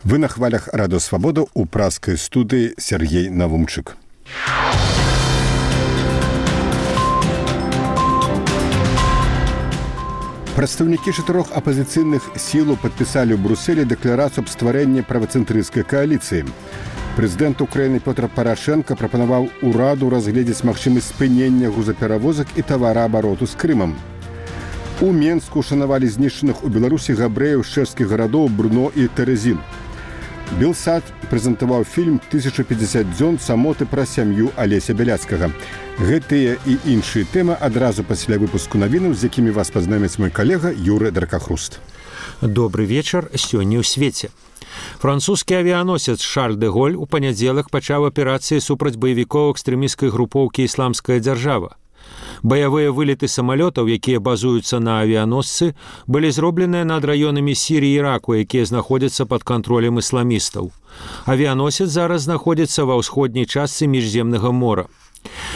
Вы на хвалях Радио Свобода у пражской студии Сергей Навумчик. Прадстаўнікі 4 апазіцыйных сілаў падпісалі ў Брусэлі дэкларацыю аб стварэнні правацэнтрысцкай кааліцыі. Прэзідэнт Украіны Пётр Парашенко прапанаваў ураду разгледзець магчымасць спынення грузаперавозак і тавараабароту з Крымам. У Менску шанавалі знішчаных у Беларусі габрэяў з чэшскіх гарадоў Брно і Тэрэзін. Белсад прэзентаваў фільм «1050 дзён самоты пра сям'ю Алеся Бяляцкага. Гэтыя і іншыя тэмы адразу пасля выпуску навінаў, з якімі вас пазнаёміць мой калега Юры Дракахруст. Добры вечар сёння ў свеце. Французскі авіяносец Шарль де Голь у панядзелак пачаў аперацыі супраць баевікоў экстрэмісцкай групоўкі «Ісламская дзяржава». Баявыя вылеты самалётаў, якія базуюцца на авіяносцы, былі зробленыя над раёнамі Сіріі і Іраку, якія знаходзяцца пад кантролем ісламістаў. Авіяносец зараз знаходзіцца ва ўсходняй частцы Міжземнага мора.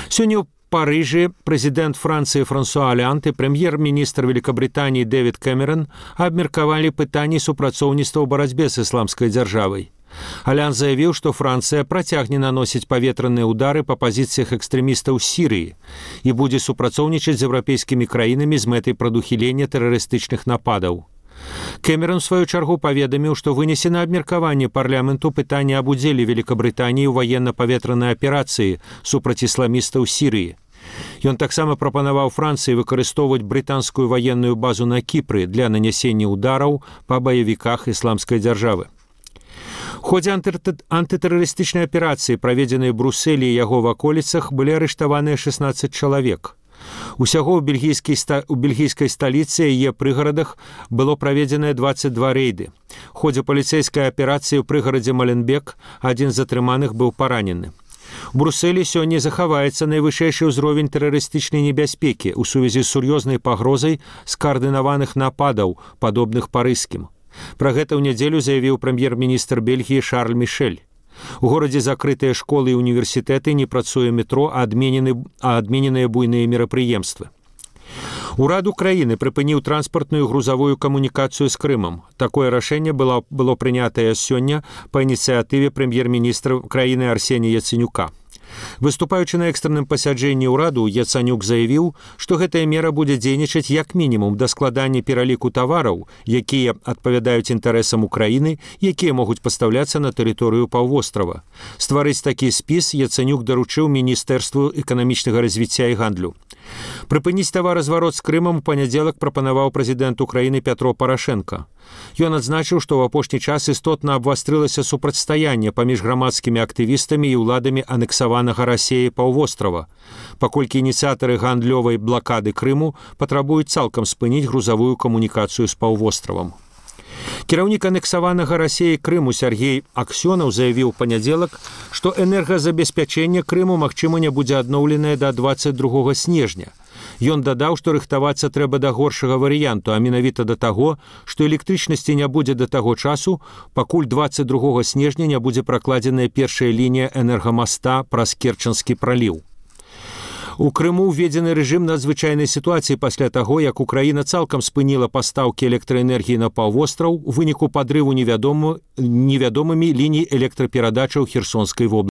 Сёння ў Парыжы прэзідэнт Францыі Франсуа Алянт і прэм'ер-міністр Великабрытаніі Дэвід Кэмерон абмеркавалі пытанні супрацоўніцтва ў барацьбе з ісламскай дзяржавай. Алянт заявіў, што Францыя працягне наносіць паветраныя ўдары па пазіцыях экстрэмістаў Сірыі і будзе супрацоўнічаць з еўрапейскімі краінамі з мэтай прадухілення тэрарыстычных нападаў. Кэмерон, у сваю чаргу, паведаміў, што вынесена абмеркаванне парламенту пытання аб удзеле Великабрытаніі ў ваенна-паветранай аперацыі супраць ісламістаў Сірыі. Ён таксама прапанаваў Францыі выкарыстоўваць брытанскую ваенную базу на Кіпры для нанясення ўдараў па баевіках ісламскай дзяржавы. У ходзе антытэрарыстычнай аперацыі, праведзенай у Брусэлі і яго ваколіцах, былі арыштаваныя 16 чалавек. Усяго ў бельгійскай сталіцы і яе прыгарадах было праведзеныя 22 рэйды. У ходзе паліцэйскай аперацыі ў прыгарадзе Маленбек адзін з затрыманых быў паранены. У Брусэлі сёння захаваецца найвышэйшы ўзровень тэрарыстычнай небяспекі ў сувязі з сур'ёзнай пагрозай скаардынаваных нападаў, падобных парыжскім. Пра гэта ў нядзелю заявіў прэм'ер-міністр Бельгіі Шарль Мішэль. У горадзе закрытыя школы і універсітэты, не працуе метро, а адмененыя буйныя мерапрыемствы. Урад Украіны прыпыніў транспартную грузавую камунікацыю з Крымам. Такое рашэнне было прынятае сёння па ініцыятыве прэм'ер-міністра краіны Арсенія Яцэнюка. Выступаючы на экстранным пасяджэнні ўраду, Яцанюк заявіў, што гэтая мера будзе дзейнічаць як мінімум да складання пераліку тавараў, якія адпавядаюць інтарэсам Украіны, якія могуць пастаўляцца на тэрыторыю паўвострава. Стварыць такі спіс Яцанюк даручыў Міністэрству эканамічнага развіцця і гандлю. Прыпыніць таваразварот з Крымам у панядзелак прапанаваў прэзідэнт Украіны Пятро Парашенко. Ён адзначыў, што ў апошні час істотна абвастрылася супрацьстаянне паміж грамадскімі актывістамі і ўладамі анексаванага Расіяй паўвострава, паколькі ініцыятары гандлёвай блакады Крыму патрабуюць цалкам спыніць грузавую камунікацыю з паўвостравам. Кіраўнік анексаванага Расіяй Крыму Сергей Аксёнаў заявіў у панядзелак, што энергазабеспячэнне Крыму магчыма не будзе адноўленае да 22 снежня. Ён дадаў, што рыхтавацца трэба да горшага варыянту, а менавіта да таго, што электрычнасці не будзе да таго часу, пакуль 22 снежня не будзе пракладзеная першая лінія энергамаста праз Керчанскі праліў. У Крыму ўведзены рэжым надзвычайнай сітуацыі пасля таго, як Украіна цалкам спыніла пастаўкі электраэнергіі на паўвостраў у выніку падрыву невядомымі ліній электраперадачаў Херсонскай вобласці.